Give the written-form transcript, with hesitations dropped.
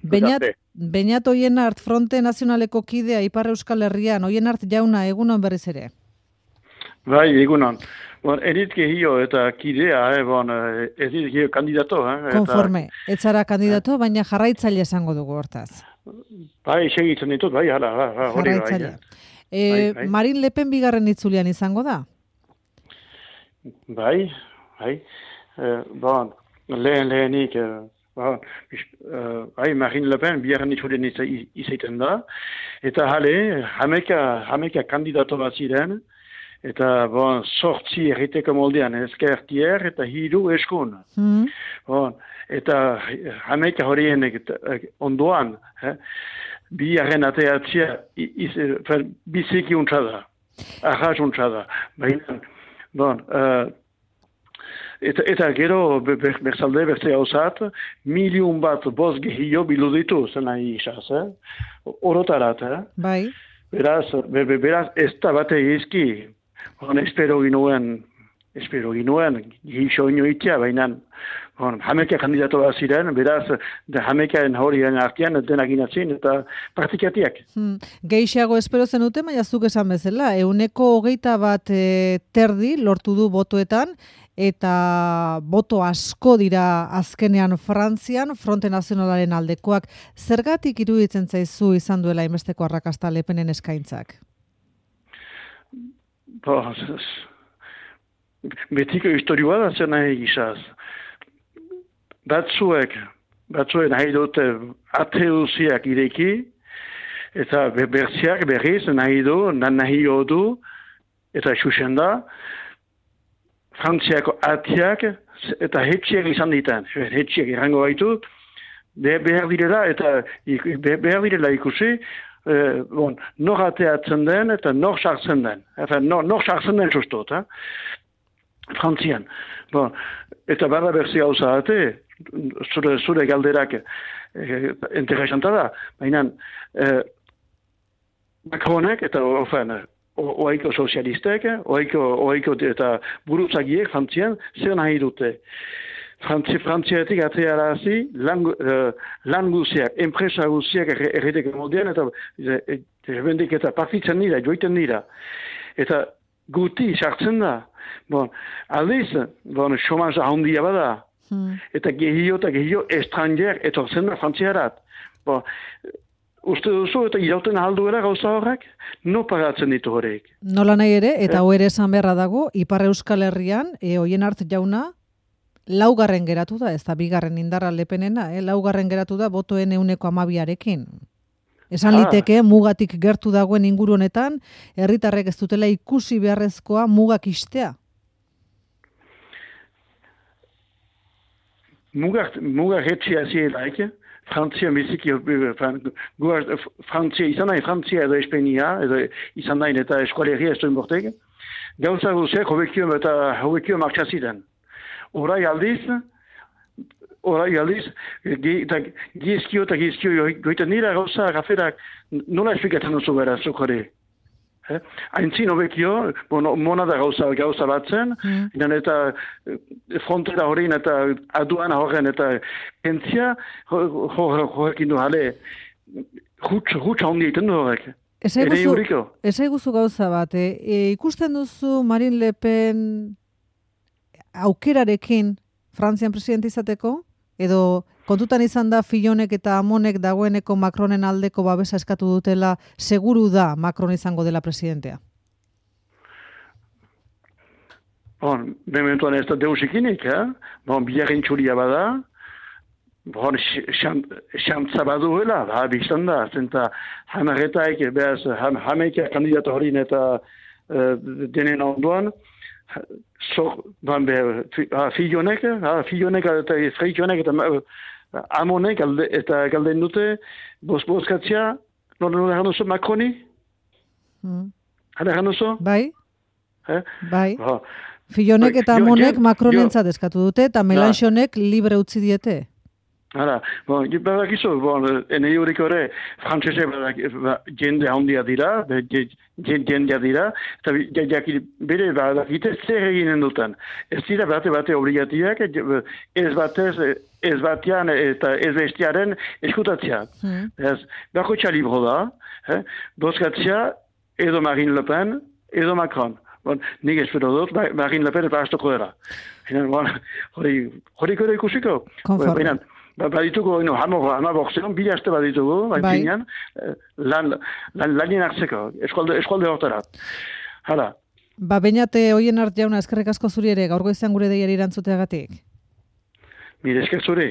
Beñat Oienart Fronte Nazionaleko kidea Ipar Euskal Herrian, Oienart jauna, egunon berriz ere. Bai, egunon. Edit gehio eta kidea, edit gehio kandidato. Konforme, etzara kandidato, baina jarraitzaile esango dugu hortaz. Bai, segitzen ditut, bai, hori jarraitzaile. Marine Le Pen bigarren itzulian izango da? Bai. Lehenik, Marine Le Pen bigarren itzulian izaiten da, eta hameka kandidato bat ziren, eta sortzi erriteko moldean ezkertier eta hiru eskun. Eta hameka horien ondoan, bigarren ateatzia biziki untsa da, ahaz untsa da. Eta gero berzalde berze hausat, 1.000.000 gehio bilu ditu zen nahi isaz, orotarat. Bai. Beraz ez da bate izki, espero ginuen, gixo inoitia, baina hameka kandidato bat ziren, beraz hamekaen horien artean denak inatzin eta praktikatiak. Geixiago espero zenute, baina zuk esan bezala, 121 terdi lortu du botoetan, eta boto asko dira azkenean Frantzian, Fronte Nazionalaren aldekoak. Zergatik iruditzen zaizu izan duela hainbesteko arrakasta Le Penen eskaintzak? Betiko historioa da zer nahi gizaz. Batzuek nahi dute ateusiak ireki, eta berziak berriz nahi du, eta xuxen da, Frantziako atiak eta hetxiak izan ditan. Hetxiak irango baitu, behar direla ikusi, nor ateatzen den eta nor sartzen den. Nor sartzen den sustot, Frantzian. Eta bada berzi hauza ate, zure galderak interesanta da, baina Macronek eta oaiko sozialistek, oaiko eta buruzagiek Frantzian zer nahi dute. Frantziatik atearazi lan guziak, enpresa guziak erriteko moldean eta bendik eta partitzen dira, joiten dira. Eta guti sartzen da. Aldiz, somaza handia bada. Eta gehio estranger etortzen da Frantziarat. Uste duzu eta irauten alduela gauza horrek, no pagatzen ditu horiek. Nola nahi ere, eta ere esan beharra dago, Ipar Euskal Herrian, Oienart jauna, laugarren geratu da, ez da bigarren indarra Le Penena, laugarren geratu da botoen 12%. Esan liteke, mugatik gertu dagoen inguru honetan, herritarrek ez dutela ikusi beharrezkoa mugak istea. Mugak etxia zielaik, Frantzia biziki, Frantzia izan nahi, Frantzia edo Espenia, edo izan nahi eta eskualeria ez duen bortek, gauza guziak hobekio martxaziren. Horai aldiz, gizkio goiten dira gauza gaferak, nola esplikatzen duzu bera, zuk hori? Aintzin hobekio, monada gauza batzen, eta frontera horien eta aduana horren eta kentzia horrekin du jale, hutsa hondi egiten du horrek. Ez eguzu gauza bat, ikusten duzu Marine Le Pen aukerarekin Frantzian presidente izateko? Edo kontutan izan da Fillonek eta Amonek dagoeneko Macronen aldeko babesa eskatu dutela, seguru da Macron izango dela presidentea? Mementuan ez da deusikinik, biharren txuria bada, xantza baduela, biztan da, zenta hamaretaik, hameika kandidato horin eta denen ondoan, Fillonek eta Freijonek eta Amonek eta galden dute bozkatzea, nola egan duzu, Macroni? Hala egan duzu? Bai. Fillonek eta Amonek Macronentzat eskatu dute eta Mélenchonek libre utzi diete. Hala, badakizu, nahi horik ere, frantzese jende handia dira, jendea dira, eta bere badakite zer eginen duten. Ez dira bate obligatiak, ez batean eta ez bestiaren eskutatzea. Bako txalibro da, bozkatzea edo Marine Le Pen, edo Macron. Nik espero dut, Marine Le Pen eta hastoko dira. Horik ere ikusiko. Badituko, hamaboxean, bila aste badituko, baina lanien hartzeko, eskualde hortara. Hala. Beñate Oienart jauna, eskerrik asko zuri ere, gaur goizean gure deiari erantzuteagatik. Mire, esker zuri.